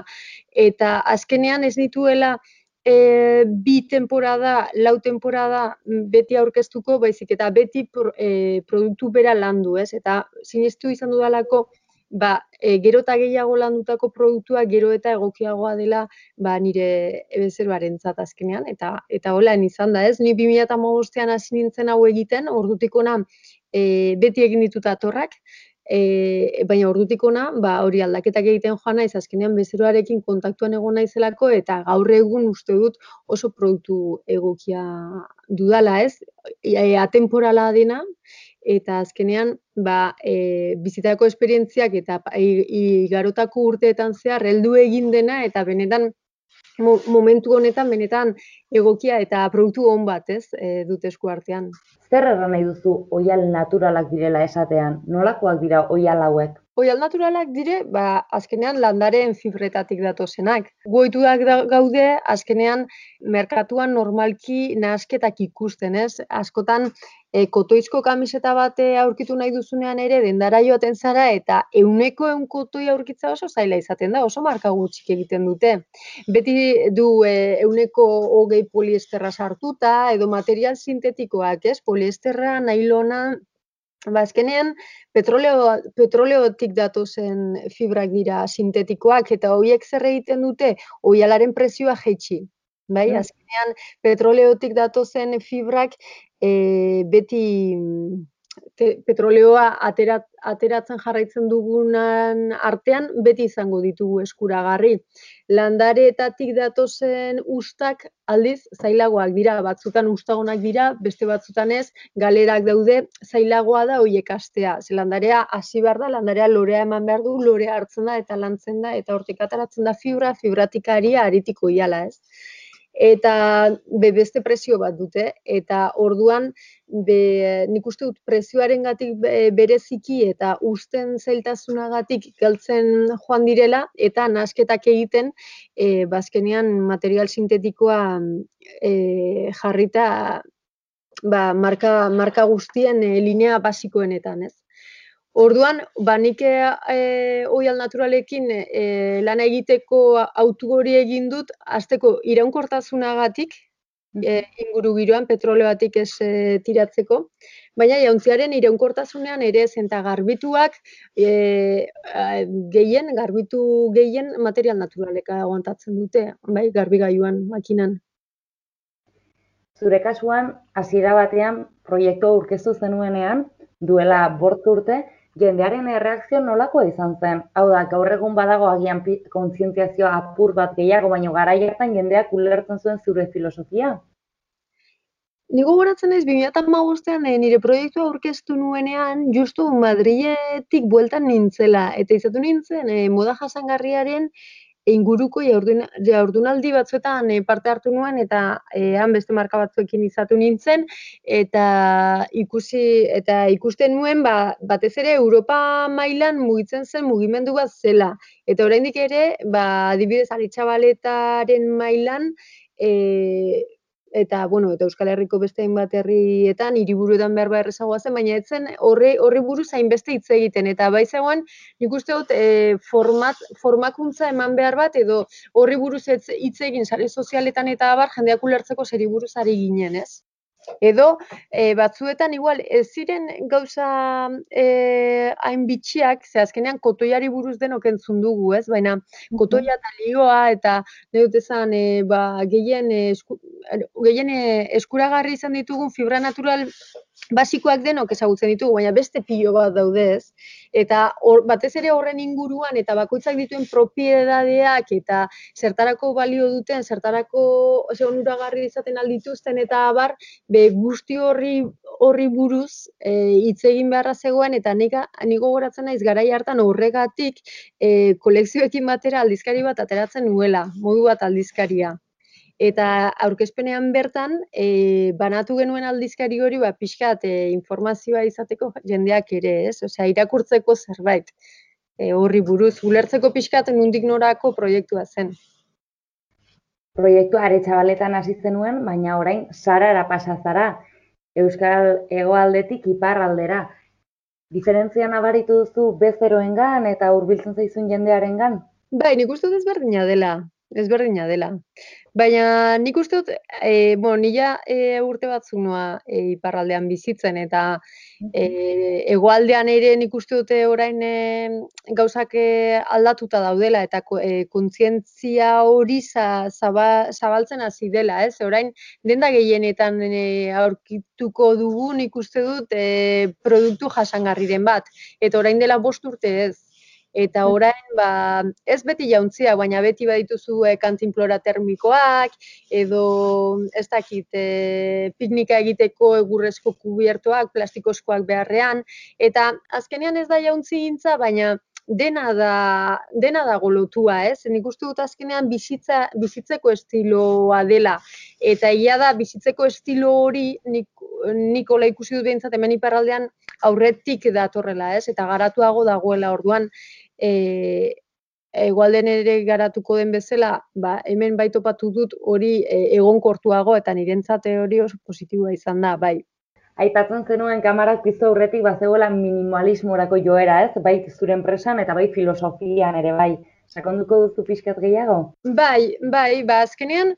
eta azkenean ez dituela e, bi temporada, lau temporada beti aurkeztuko, baizik eta beti pro, e, produktu bera landu, ez? Eta sinestu izan dudalako, ba, e, gero eta gehiago landutako produktua gero eta egokiagoa dela ba, nire bezeroarentzat azkenean, eta eta holan izan da, ez? Ni bi mila hamabostean hasi nintzen hau egiten, ordutik hona e, beti egin ditut atorrak, e, baina ordutik hona, ba, hori aldaketak egiten joan naiz, azkenean bezeroarekin kontaktuan egon naizelako, eta gaur egun uste dut oso produktu egokia dudala, ez? E, atemporala dena, eta azkenean ba, e, bizitako esperientziak eta igarotako urteetan zehar heldu egin dena eta benetan mo, momentu honetan benetan egokia eta produktu on bat, ez, e, dut esku artean. Zer erran nahi duzu oihal naturalak direla esatean? Nolakoak dira oihal hauek? Oihal naturalak dire, ba, azkenean landaren fibretatik datozenak. Goituak gaude, azkenean merkatuan normalki nahasketak ikusten, ez? Askotan, e, kotoizko kamiseta bate aurkitu nahi duzunean ere, dendara joaten zara, eta euneko eun kotoi aurkitza oso zaila izaten da, oso marka gutxik egiten dute. Beti du e, euneko hogei poliesterra sartuta, edo material sintetikoak, ez? Poliesterra, nailona, ba, azkenean, petroleo, petroleotik datozen fibrak dira sintetikoak, eta horiek zer egiten dute, oihalaren prezioa jaitsi. Bai, azkenean, petroleotik datozen fibrak e, beti te, petroleoa aterat, ateratzen jarraitzen dugunan artean, beti izango ditugu eskuragarri. Landareetatik datozen ustak aldiz zailagoak dira, batzutan ustagonak dira, beste batzutan ez, galerak daude, zailagoa da horiek astea. Ze landarea hasi behar da, landarea lorea eman behar du, lorea hartzen da eta lantzen da, eta hortik ateratzen da fibra, fibratik aria, aritiko iala, ez? Eta be, beste prezio bat dute, eta orduan be, nik uste dut prezioarengatik bereziki eta usten zailtasunagatik galtzen joan direla, eta nahasketak egiten e, bazkenean material sintetikoa e, jarrita ba, marka, marka guztien e, linea basikoenetan, ez? Orduan, ba, nik e, oihal naturalekin e, lana egiteko autu hori egin dut, hasteko iraunkortasunagatik, e, inguru giroan petroleoatik ez e, tiratzeko, baina jauntziaren iraunkortasunean ere ez, eta garbituak e, gehien, garbitu gehien material naturaleka aguantatzen dute, bai, garbigailuan, makinan. Zure kasuan, hasiera batean proiektua aurkeztu zenuenean, duela bost urte, jendearen erreakzio nolakoa izan zen? Hau da, gaur egun badago agian kontzientziazio apur bat gehiago, baino garai hartan jendeak ulertzen zuen zure filosofia? Ni gogoratzen naiz bi mila hamabostean nire proiektua aurkeztu nuenean, justu Madriletik bueltan nintzela, eta izatu nintzen e, moda jasangarriaren inguruko jardunaldi batzuetan e, parte hartu nuen, eta e, han beste marka batzuekin izatu nintzen, eta ikusi eta ikusten nuen ba, batez ere Europa mailan mugitzen zen mugimendu bat zela. Eta oraindik ere, ba, adibidez Aretxabaletaren mailan, e, eta, bueno, eta Euskal Herriko beste hainbat herrietan, hiriburuetan behar behar errezagoa zen, baina etzen horri, horri buruz hainbeste hitz egiten. Eta bai zegoen, nik uste dut, e, format, formakuntza eman behar bat, edo horri buruz hitz egin sare sozialetan eta abar, jendeak ulertzeko zeri buruz ari ginen, ez? Edo, e, batzuetan igual, ez ziren gauza e, hain bitxiak, ze azkenean kotoiari buruz denok entzun dugu, ez? Baina kotoia eta lioa eta neut esan, e, ba, gehien, esku, gehien eskuragarri izan ditugun fibra natural basikoak denok ezagutzen ditugu, baina beste pilo bat daude, ez? Eta or, batez ere horren inguruan eta bakoitzak dituen propiedadeak eta zertarako balio duten, zertarako onuragarri izaten aldituzten eta abar, be guzti horri horri buruz hitz e, egin beharra zegoen, eta nik gogoratzen naiz garai hartan horregatik e, kolekzioekin batera aldizkari bat ateratzen nuela, modu bat aldizkaria. Eta aurkezpenean bertan, e, banatu genuen aldizkari hori, ba, pixkat e, informazioa izateko jendeak ere, ez? Osea, irakurtzeko zerbait e, horri buruz, ulertzeko pixkat nondik norako proiektua zen. Proiektua Aretxabaletan hasi zenuen, baina orain Sarara pasa zara, Euskal Hegoaldetik iparraldera. Diferentzia nabaritu duzu bezeroengan eta hurbiltzen zaizun jendearengan? Bai, nik uste dut ezberdina dela. Ezberdina dela. Baina nik uste dut, e, bueno, nila e, urte batzuk noa e, iparraldean bizitzen, eta e, hegoaldean ere nik uste dute orain e, gauzak e, aldatuta daudela, eta e, kontzientzia hori za, zaba, zabaltzen hasi dela, ez? Orain denda gehienetan e, aurkituko dugu nik uste dut e, produktu jasangarriren bat, eta orain dela bost urte ez. Eta orain, ba, ez beti jauntzia, baina beti badituzu e, kantinplora termikoak, edo ez dakit, e, piknika egiteko egurrezko kubiertoak, plastikozkoak beharrean, eta azkenean ez da jauntzi gintza, baina dena da, dena dago lotua, ez? Nik uste dut azkenean bizitza, bizitzeko estiloa dela, eta egia da bizitzeko estilo hori nik, nik hola ikusi dut behintzat hemen iparraldean aurretik datorrela, ez? Eta garatuago dagoela orduan, E, egualden ere garatuko den bezala, ba, hemen bai topatu dut hori e, egonkortuago, eta nirentzat hori oso positiboa izan da, bai. Aipatzen zenuen kamarak piztu aurretik bazegoela minimalismorako joera, ez? Bai zure enpresan eta bai filosofian ere bai. Sakonduko duzu pixkat gehiago? Bai, bai, ba, azkenean,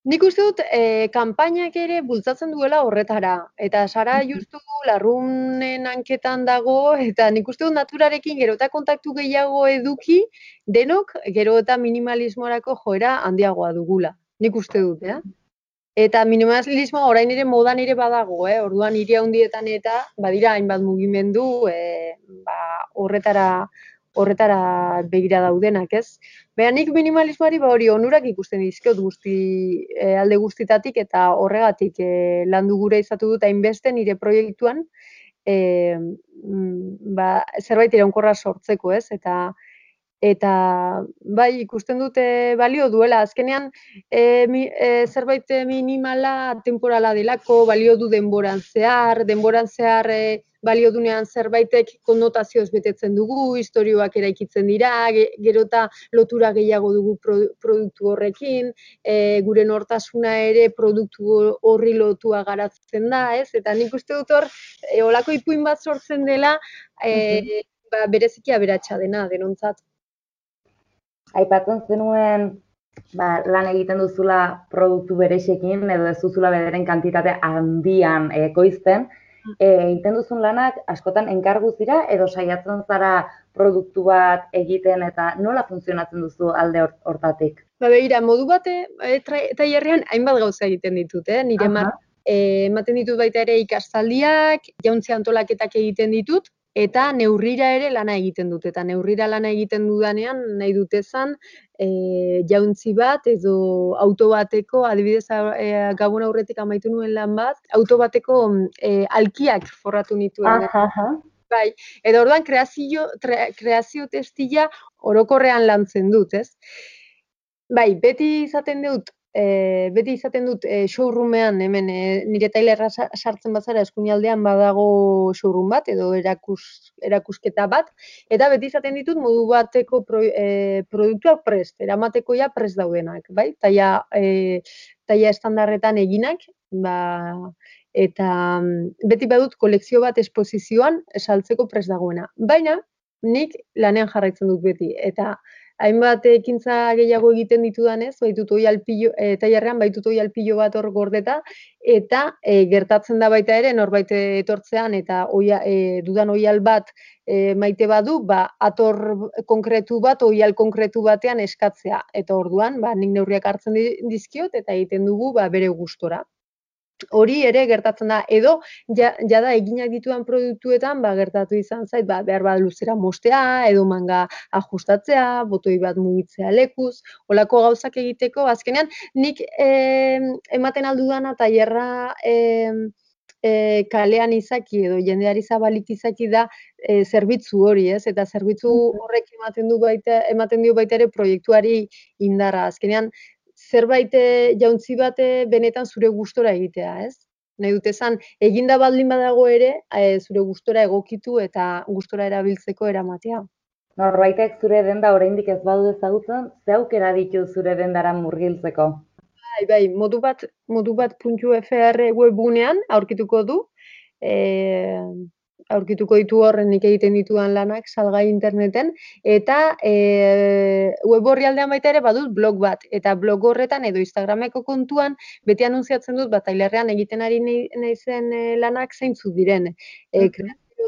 nik uste dut, e, kanpainak ere bultzatzen duela horretara, eta Sara justu larrunen hanketan dago, eta nik uste dut naturarekin gero eta kontaktu gehiago eduki, denok gero eta minimalismorako joera handiagoa dugula, nik uste dut, eh? Eta minimalismoa orain ere modan ere badago, eh? Orduan hiri handietan eta badira hainbat mugimendu e, ba, horretara horretara begira daudenak, ez? Baina nik minimalismoari ba hori onurak ikusten dizkiot guzti e, alde guztitatik, eta horregatik e, landu gure izatu dut hainbeste nire proiektuan e, ba, zerbait iraunkorra sortzeko, ez? Eta eta bai ikusten dute balio duela, azkenean e, mi, e, zerbait minimala temporala delako, balio du denboran zehar, denboran zehar e, balio dunean zerbaitek konnotazioz betetzen dugu, istorioak eraikitzen dira, gero eta lotura gehiago dugu produktu horrekin, e, gure nortasuna ere produktu horri lotua garatzen da, ez? Eta nik uste dut hor, e, olako ipuin bat sortzen dela, e, ba, bereziki aberatsa dena, denontzat. Aipatzen zenuen ba, lan egiten duzula produktu berexekin, edo ez duzula bederen kantitate handian ekoizten, e, egiten duzun lanak askotan enkarguz dira, edo saiatzen zara produktu bat egiten, eta nola funtzionatzen duzu alde hortatik? Ba, begira, modu bate, e, tailerrean hainbat gauza egiten ditut, eh? Nire mar, e, ematen ditut baita ere ikastaldiak, jauntzi antolaketak egiten ditut, eta neurrira ere lana egiten dut. Eta neurrira lana egiten dudanean, nahi dutezan, e, jauntzi bat edo auto bateko, adibidez e, gabon aurretik amaitu nuen lan bat, auto bateko e, alkiak forratu nituen. Bai, eta orduan kreazio, tre, kreazio testila orokorrean lantzen dut, ez? Bai, beti izaten dut, e, beti izaten dut e, showroomean, hemen e, nire tailerra sartzen bazara eskuinaldean badago showroom bat, edo erakus, erakusketa bat, eta beti izaten ditut modu bateko pro, e, produktuak prest, eramateko ja prest daudenak, bai? Taia, e, taia estandarretan eginak, ba, eta beti badut kolekzio bat esposizioan saltzeko prest dagoena. Baina, nik lanean jarraitzen dut beti, eta hainbat ekintza gehiago egiten ditudanez, baitut oi alpillo, e, tailerrean baitut oi alpillo bat hor gordeta, eta e, gertatzen da baita ere norbait etortzean eta oia, e, dudan oial bat e, maite badu, ba, ator konkretu bat, oial konkretu batean eskatzea. Eta orduan, ba, nik neurriak hartzen dizkiot eta egiten dugu ba, bere gustora. Hori ere gertatzen da, edo ja, jada eginak dituan produktuetan ba, gertatu izan zait, ba, behar bat luzera mostea, edo manga ajustatzea, botoi bat mugitzea lekuz, olako gauzak egiteko, azkenean nik eh, ematen aldudana tailerra eh, eh, kalean izaki edo jendeari zabalik izaki da eh, zerbitzu hori, ez? Eta zerbitzu horrek ematen du baita, ematen dio baita ere proiektuari indarra, azkenean zerbait jauntzi bate benetan zure gustora egitea, ez? Nahi dut esan, eginda baldin badago ere, e, zure gustora egokitu eta gustora erabiltzeko eramatea. Norbaitek zure denda oraindik ez badu ezagutzen, ze aukera ditu zure dendara murgiltzeko? Bai, bai, modu bat, modu bat puntu f r webgunean aurkituko du, e, aurkituko ditu horren nik egiten dituan lanak salgai interneten, eta e, web orrialdean baita ere badut blog bat, eta blog horretan edo Instagrameko kontuan beti anuntziatzen dut bat tailerrean egiten ari naizen e, lanak zeintzuk diren. E,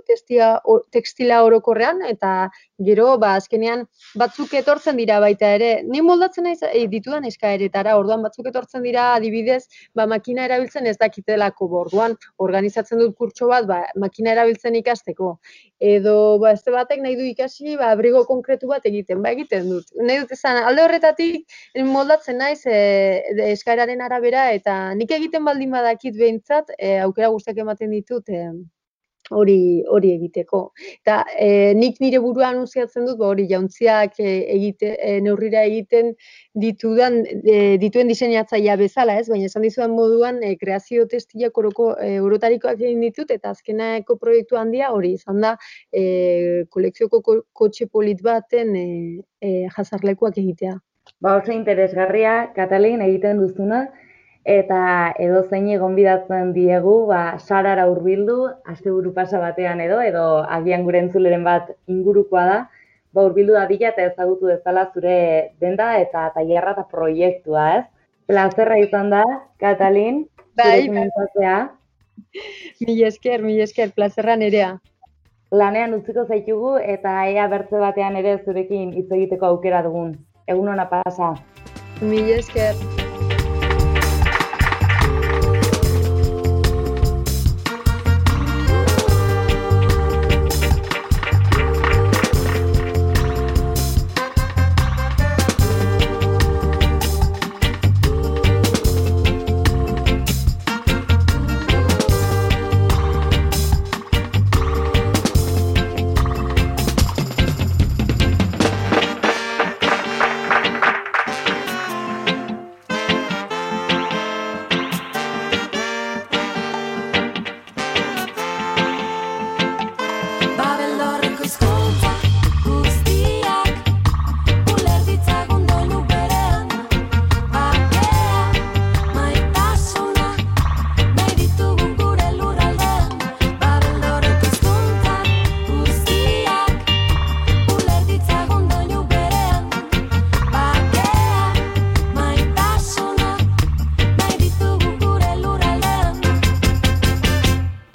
Testia, tekstila orokorrean, eta gero, ba, azkenean batzuk etortzen dira baita ere, ni moldatzen naiz e, ditudan eskaeretara, orduan batzuk etortzen dira adibidez, ba, makina erabiltzen ez dakitelako, orduan organizatzen dut kurtso bat, ba, makina erabiltzen ikasteko, edo ba, este batek nahi du ikasi, ba, abrigo konkretu bat egiten, ba, egiten dut. Nahi dut esan, alde horretatik moldatzen naiz e, eskaeraren arabera, eta nik egiten baldin badakit behintzat, e, aukera guztiak ematen ditut, e, hori hori egiteko. Eta e, nik nire burua anuntziatzen dut, ba, hori jauntziak e, egite, e, neurrira egiten ditudan, e, dituen diseinatzailea bezala, ez? Baina esan dizudan moduan, e, kreazio testilak oroko e, orotarikoak egin ditut, eta azkeneko proiektu handia hori izan da e, kolekzioko ko, kotxe polit baten e, e, jazarlekuak egitea. Ba, oso interesgarria, Katalin, egiten duzuna, eta edo zein gonbidatzen diegu, ba, sarara hurbildu, asteburu pasa batean edo, edo agian gure entzuleren bat ingurukoa da, ba, hurbildu dadila eta ezagutu dezala zure denda eta tailerra eta proiektua, ez? Plazerra izan da, Katalin, bai, zure komentatzea. Mila esker, mila esker, plazerra nerea. Lanean utziko zaitugu eta ea bertze batean ere zurekin hitz egiteko aukera dugun. Egun ona pasa. Mila esker.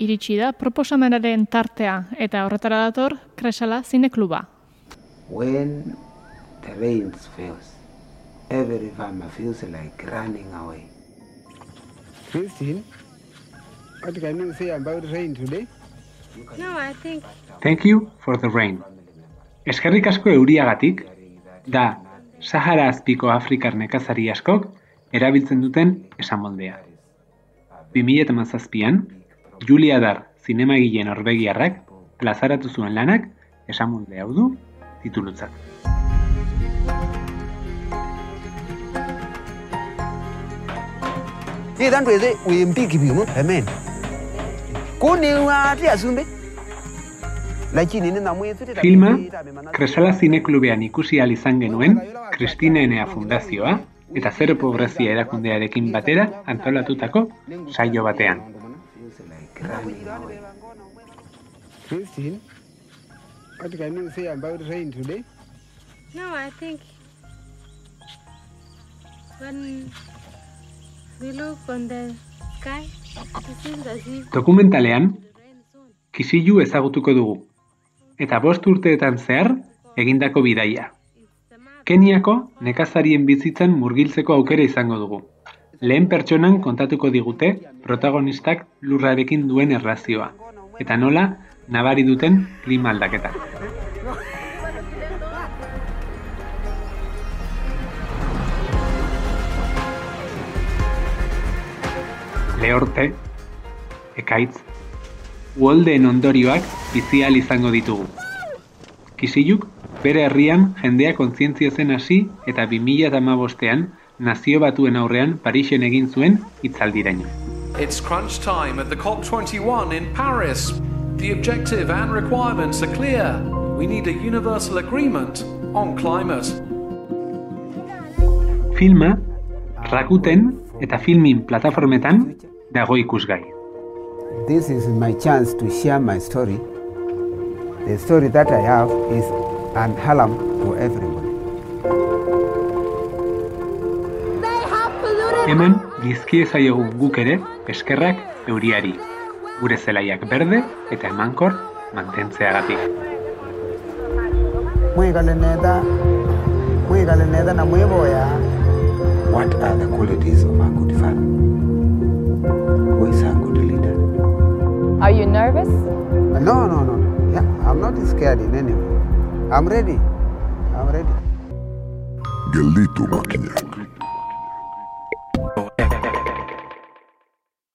Iritsi da proposamenaren tartea eta horretara dator Kresala Zinekluba. When the rain fails Every farmer feels like running away. Christine, what can you say about rain today? No, I think... Thank you for the rain. Eskerrik asko euriagatik, da Sahara azpiko Afrikar nekazari askok erabiltzen duten esamoldea. bi mila hamazazpian, Julia Dar zinemagile norvegiarrak plazaratu zuen lanak esamolde hau du titulutzat. Filma, Kresala Zineklubean ikusi ahal izan genuen Kristina Enea Fundazioa eta Zero Pobrezia erakundearekin batera antolatutako saio batean. Christine, what can you say about rain today? No, I think when we look on the sky, it seems as if... Dokumentalean, Kisilu ezagutuko dugu, eta bost urteetan zehar egindako bidaia. Keniako nekazarien bizitzan murgiltzeko aukera izango dugu. Lehen pertsonan kontatuko digute protagonistak lurrarekin duen erlazioa, eta nola nabari duten klima aldaketa. Lehorte, ekaitz, uholdeen ondorioak bizi ahal izango ditugu. Kisiluk bere herrian jendea kontzientzia zen hasi eta bi mila hamabostean nazio batuen aurrean Parisen egin zuen hitzaldiraino. It's crunch time at the COP twenty-one in Paris. The objective and requirements are clear. We need a universal agreement on climate. Filma, Rakuten eta Filmin plataformetan dago ikusgai. This is my chance to share my story. The story that I have is an alarm to everybody. Hemen dizkie zaiogun guk ere eskerrak euriari, gure zelaiak berde eta emankor mantentzeagatik. What are the qualities of a good father? Who is a good leader? Are you nervous? No, no, no. Yeah, I'm not scared in any way. I'm ready. I'm ready. Gelditu makinak.